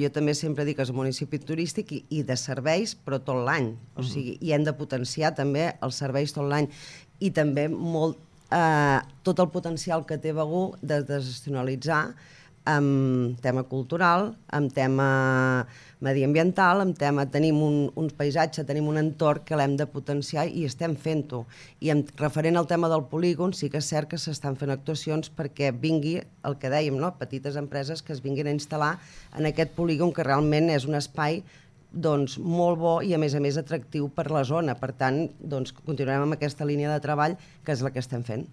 Jo també sempre dic que és un municipi turístic i de serveis, però tot l'any. O sigui, i hem de potenciar també els serveis tot l'any. I també tot el potencial que té Begur de desestacionalitzar amb tema cultural, amb tema mediambiental, amb tema tenim un paisatge, tenim un entorn que l'hem de potenciar i estem fent-ho. I referent al tema del polígon, sí que és cert que s'estan fent actuacions perquè vingui el que dèiem, no? Petites empreses que es vinguin a instal·lar en aquest polígon que realment és un espai doncs, molt bo i a més atractiu per la zona. Per tant, doncs, continuarem amb aquesta línia de treball que és la que estem fent.